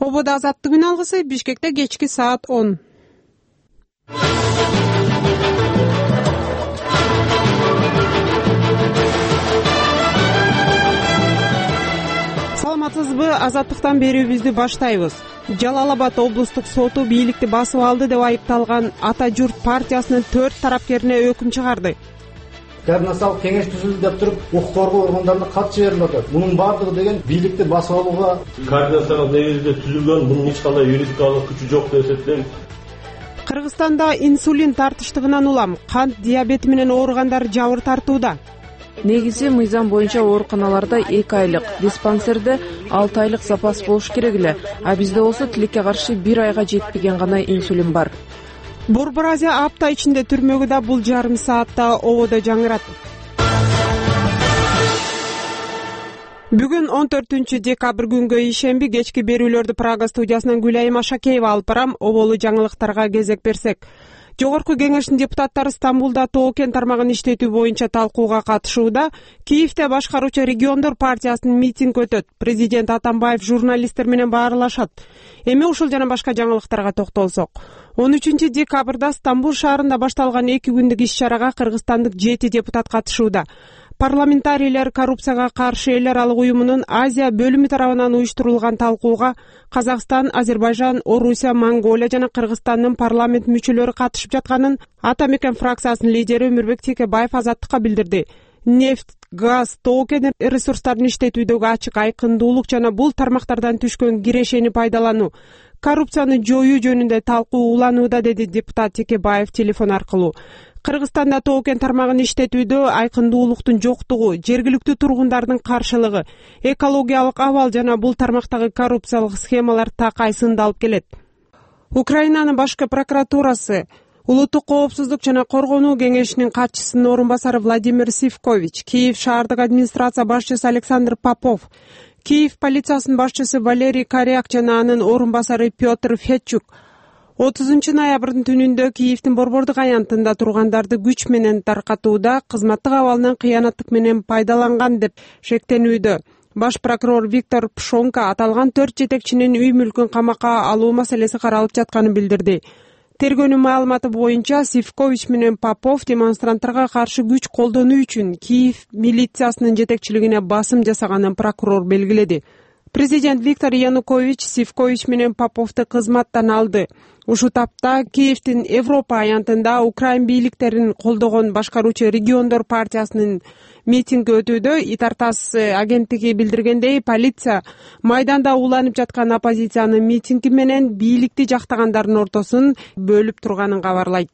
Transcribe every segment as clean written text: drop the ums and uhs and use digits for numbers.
Ободо азаттык үн алгысы Бишкекте кечки саат 10. Саламатсызбы? Азаттыктан берүүбүздү баштайбыз. Жалал Абад облустук соту бийликти басып алды деп айыпталган Ата журт партиясынын 4 тарапкерине өкүм чыгарды. Координациялык кеңеш түзүлдү деп туруп, укук коргоо органдарына кат жиберилип атат. Мунун бардыгы деген бийликти басып алууга координациялык негизде түзүлгөн, бунун эч кандай юридикалык күчү жок деп эсептейм. Кыргызстанда инсулин тартыштыгынан улам кант диабети менен ооругандар жабыр тартууда. Негизи мыйзам боюнча ооруканаларда 2 айлык, диспансерде 6 айлык запас болуш керек эле, а бизде болсо тилекке каршы 1 айга жетпеген гана инсулин бар. Борбор Азия апта ичинде түрмөгү да бул жарым саатта ободо жаңырат. Бүгүн 14-декабрь күнгө ишемби кечки берүүлөрдү Прага студиясынан Гүлайым Ашакеева алып барам. Оболу жаңылыктарга кезек берсек. Жогорку кеңештин депутаттары Стамбулда Тоо-Кен тармагын иштетүү боюнча талкууга катышууда. Киевде башкаруучу региондор партиясынын митинг өтөт. Президент Атамбаев журналисттер менен баарлашат. Эми ушул жана башка жаңылыктарга токтолсок. 13-декабрда Стамбул шаарында башталган 2 күндүк иш-чарага кыргызстандык 7 депутат катышууда. Парламентарийлер коррупцияга каршы элдер алык уюмунун Азия бөлүмү тарабынан уюштурулган талкууга Казакстан, Азербайжан, Орусия, Монголия жана Кыргызстандын парламент мүчөлөрү катышып жатканын Атамекен фракциясынын лидери Өмүрбек Текебаев Азаттыкка билдирди. Нефть, газ, Тоо-Кен ресурстарын иштетүүдөгү ачык айкындуулук жана бул тармактардан түшкөн кирешени пайдалануу, коррупцияны жоюу жөнүндө талкуу уланууда, деди депутат Текебаев телефон аркылуу. Кыргызстанда Тоо-Кен тармагын иштетүүдө айкындуулуктун жоктугу, жергиликтүү тургундардын каршылыгы, экологиялык абал жана бул тармактагы коррупциялык схемалар такай сындалып келет. Украинанын башкы прокуратурасы Улуттук коопсуздук жана коргонуу кеңешинин катчысынын орун басары Владимир Сивкович, Киев шаардык администрация башчысы Александр Попов, Киев полициясынын башчысы Валерий Коряк жана анын орун басары Петр Федчук 30-ноябрдын түнүндө Киевдин борбордук аянтында тургандарды күч менен таркатууда кызматтык абалынан кыянаттык менен пайдаланган деп шектенүүдө. Баш прокурор Виктор Пшонка аталган 4 жетекчинин үй мүлкүн камакка алуу маселеси каралып жатканын билдирди. Тергөөнүн маалыматы боюнча Сивкович менен Попов демонстранттарга каршы күч колдонуу үчүн Киев милициясынын жетекчилигине басым жасаганын прокурор белгиледи. Президент Виктор Янукович Сивкович менен Поповду кызматтан алды. Ушул тапта Киевдин Европа аянтында Украин бийликтерин колдогон башкаруучу региондор партиясынын митинги өтүүдө. Итартас агенттиги билдиргендей, полиция майданда уланып жаткан оппозициянын митинги менен бийликти жактагандардын ортосун бөлүп турганын кабарлайт.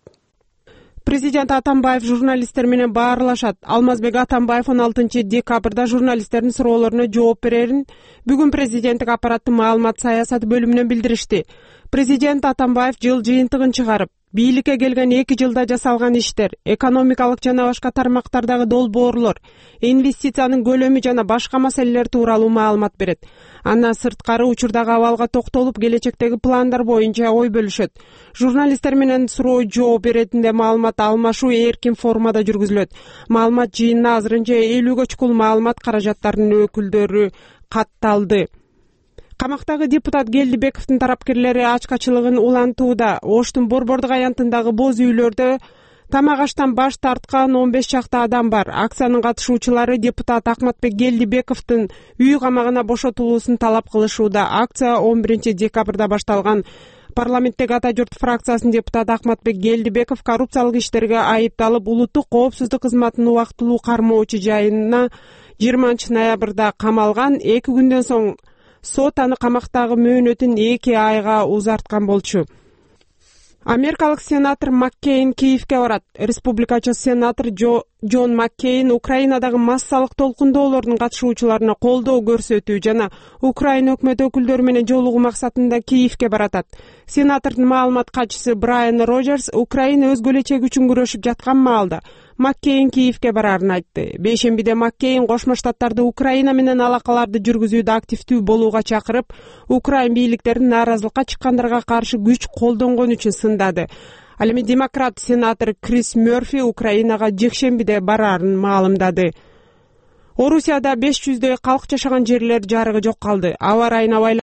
Президент Атамбаев журналисттер менен баарлашат. Алмазбек Атамбаев 16-декабрда журналисттердин суроолоруна жооп берерин бүгүн президенттик аппараттын маалымат саясаты бөлүмүнөн билдиришти. Президент Атамбаев жыл жыйынтыгын чыгарып, бийликке келген 2 жылда жасалган иштер, экономикалык жана башка тармактардагы долбоорлор, инвестициянын көлөмү жана башка маселелер тууралуу маалымат берет. Андан сырткары учурдагы абалга токтолуп, келечектеги пландар боюнча ой бөлүшөт. Журналисттер менен суроо жооп иретинде маалымат алмашуу эркин формада жүргүзүлөт. Маалымат жыйынына азырынча 50-гө чукул маалымат каражаттарынын өкүлдөрү катталды. Камактагы депутат Келдибековдун тарапкерлери ачкачылыгын улантууда. Оштун борбордук аянтындагы боз үйлөрдө тамак аштан баш тарткан 15 чакты адам бар. Акциянын катышуучулары депутат Акматбек Келдибековдун үй камагына бошотулуусун талап кылышууда. Акция 11-декабрда башталган. Парламенттеги Ата журт фракциясынын депутаты Акматбек Келдибеков коррупциялык иштерге айыпталып, улуттук коопсуздук кызматынын убактылуу кармоочу жайына 20-ноябрда камалган. 2 күндөн соң сот аны камактагы мөөнөтүн 2 айга узарткан болчу. Америкалык сенатор Маккейн Киевге барат. Республикачы сенатор Джон Маккейн Украинадагы массалык толкундоолордун катышуучуларына колдоо көрсөтүү жана Украина өкмөт өкүлдөрү менен жолугуу максатында Киевге баратат. Сенатордун маалымат катчысы Брайан Роджерс Украина өз келечеги үчүн күрөшүп жаткан маалда Маккейн Киевге барарын айтты. Бейшембиде Маккейн Кошмо Штаттарды Украина менен алакаларды жүргүзүүдө активдүү болууга чакырып, Украин бийликтерин нааразылыкка чыккандарга каршы күч колдонгон үчүн сындады. Ал эми демократ сенатор Крис Мёрфи Украинага жекшембиде барарын маалымдады. Орусияда 500дөй калк жашаган жерлер жарыгы жок калды. Аба ырайына